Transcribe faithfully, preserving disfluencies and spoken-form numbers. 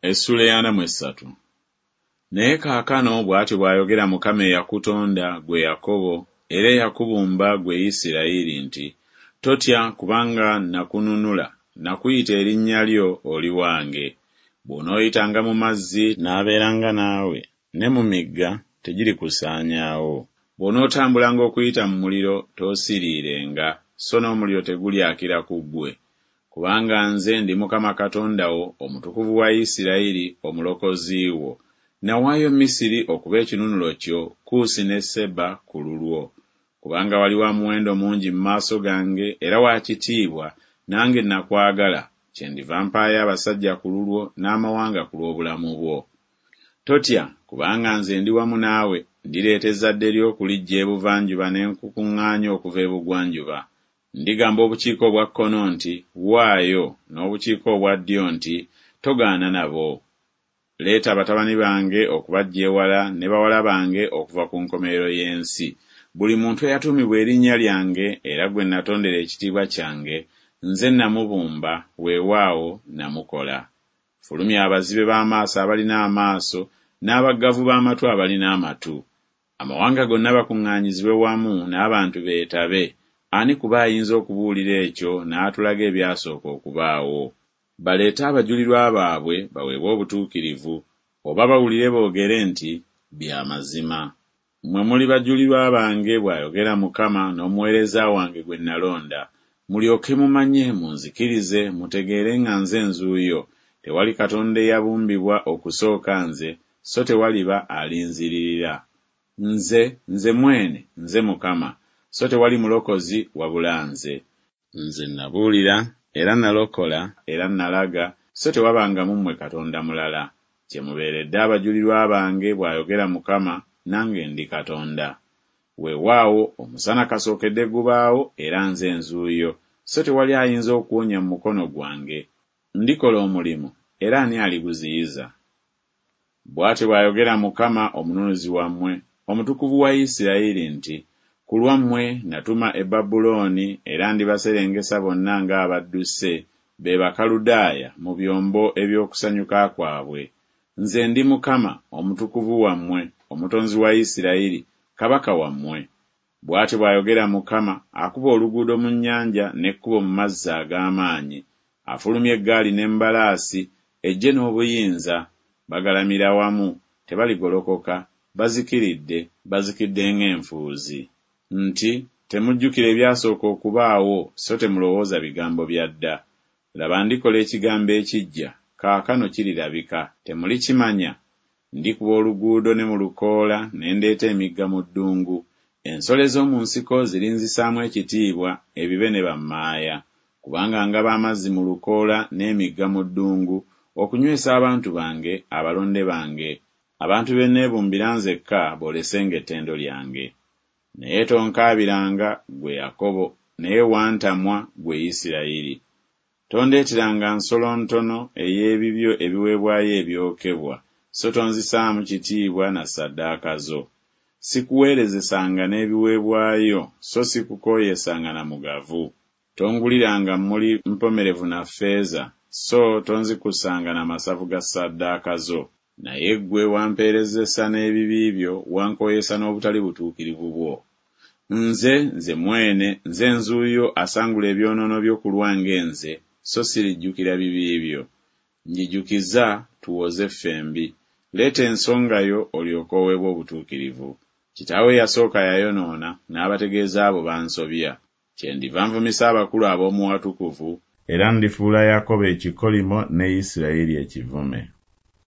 Essuula ey'ana mu essatu. Naye kaakano bw'atyo bw'ayogera Mukama eyakutonda, ggwe Yakobo, era eyakubumba, ggwe Isirayiri nti, Totya, kubanga nakununula, nakuyita erinnya lyo, oli wange. Bw'onooyitanga mu mazzi, naabeeranga naawe, ne mu migga tegirikusaanyaawo. Bw'onootambulanga okuyita mu muliro, toosiriirenga, so n'omuliro tegulyakira ku ggwe. Kubanga nze ndi Mukama Katonda wo, Omutukuvu wa Isirayiri, Omulokozi wo. Nawaayo Misiri okuba ekinunulo kyo, Kuusi ne Seba ku lulwo. Kubanga wali wa muwendo mungi mu maaso gange era wa kitiibwa, nange nakwagala, kyendiva mpaayo abasajja ku lulwo n'amawanga ku lw'obulamu bwo. Totya, kubanga nze ndi wamu naawe, ndireeta ezzadde lyo okuliggya ebuvanjuba ne nkukuŋŋaanya okuva ebugwanjuba. Ndigamba obukiika obwa kkono nti, Waayo, n'obukiika obwa ddyo nti, Togaana nabo. Leeta batabani bange okubaggya ewala ne bawala bange okuva ku nkomerero y'ensi, buli muntu eyatuumibwa erinnya lyange era gwe natondera ekitiibwa kyange, nze namubumba, weewaawo namukola. Fulumya abazibe b'amaaso abalina amaaso, n'abaggavu b'amatu abalina amatu. Amawanga gonna bakuŋŋaanyizibwe wamu n'abantu beetabe, ani ku bo ayinza okubuulira ekyo n'atulaga ebyasooka okubaawo? Baleete abajulirwa baabwe baweebwe obutuukirivu, oba bawulire boogere nti, Bya mazima. Mmwe muli bajulirwa bange, bw'ayogera Mukama, n'omuweereza wange gwe nalonda, mulyoke mumanye munzikirize, mutegeere nga nze nzuuyo, tewali Katonda eyabumbibwa okusooka nze, so tewaliba alinziririra. Nze, nze mwene, nze Mukama, so tewali mulokozi wabula nze. Nze nabuulira, era nalokola, era nalaga, so tewabanga mu mmwe Katonda mulala. Kyemubeeredde abajulirwa bange, bw'ayogera Mukama, nange ndi Katonda. Weewaawo, omusana kasookedde gubaawo, era nze nzuuyo, so tewali ayinza okuwonya mu mukono gwange. Ndikola omulimu, era ani aliguziyiza? Bw'atyo bw'ayogera Mukama Omununuzi wammwe, Omutukuvu wa Isirayiri nti, Ku lwammwe natuma e Babulooni, era ndibaserengesa bonna ng'abadduse, be Bakaludaaya, mu byombo eby'okusanyuka kwabwe. Nze ndi Mukama, Omutukuvu wammwe, Omutonzi wa Isirayiri, Kabaka wammwe. Bw'atyo bw'ayogera Mukama, akuba oluguudo mu nnyanja n'ekkubo mu mazzi ag'amaanyi, afulumya eggaali n'embalaasi, eggye n'obuyinza, bagalamira wamu, tebaligolokoka, bazikiridde, bazikidde ng'enfuuzi. Nti, Temujjukira ebyasooka okubaawo, so temulowooza bigambo bya dda. Laba ndikola ekigambo ekiggya, kaakano kirirabika, temulikimanya? Ndikuba oluguudo ne mu lukoola, ne ndeeta emigga mu ddungu. Ensolo ez'omu nsiko zirinzisaamu ekitiibwa, ebibe ne bammaaya. Kubanga ngaba amazzi mu lukoola n'emigga mu ddungu, okunywesa abantu bange, abalonde bange, abantu be neebumbira nzekka boolesenga ettendo lyange. Naye tonkaabiranga, ggwe Yakobo, naye wantamwa, ggwe Isirayiri. Tondeeteranga nsolo ntono ey'ebibyo ebiweebwayo ebyokebwa, so tonzisaamu kitiibwa na ssaddaaka zo. Sikuweerezesanga n'ebiweebwayo, so sikukooyesanga na mugavu. Tonguliranga mmuli mpomerevu na ffeeza, so tonzikusanga na masavu ga ssaddaaka zo. Naye ggwe wampeerezesa n'ebibi byo, wankooyesa n'obutali butuukirivu bwo. Nze, nze mwene, nze nzuuyo asangula ebyonoono byo ku lwange nze, so sirijjukira bibi byo. Njijukiza, tuwoze ffembi. Leeta ensonga yo olyoke oweebwe obutuukirivu. Kitaawe eyasooka yayonoona, n'abategeeza abo bansobya. Kyendiva nvumisa abakulu ab'omu watukuvu, era ndifuula Yakobo ekikolimo ne Isirayiri ekivume.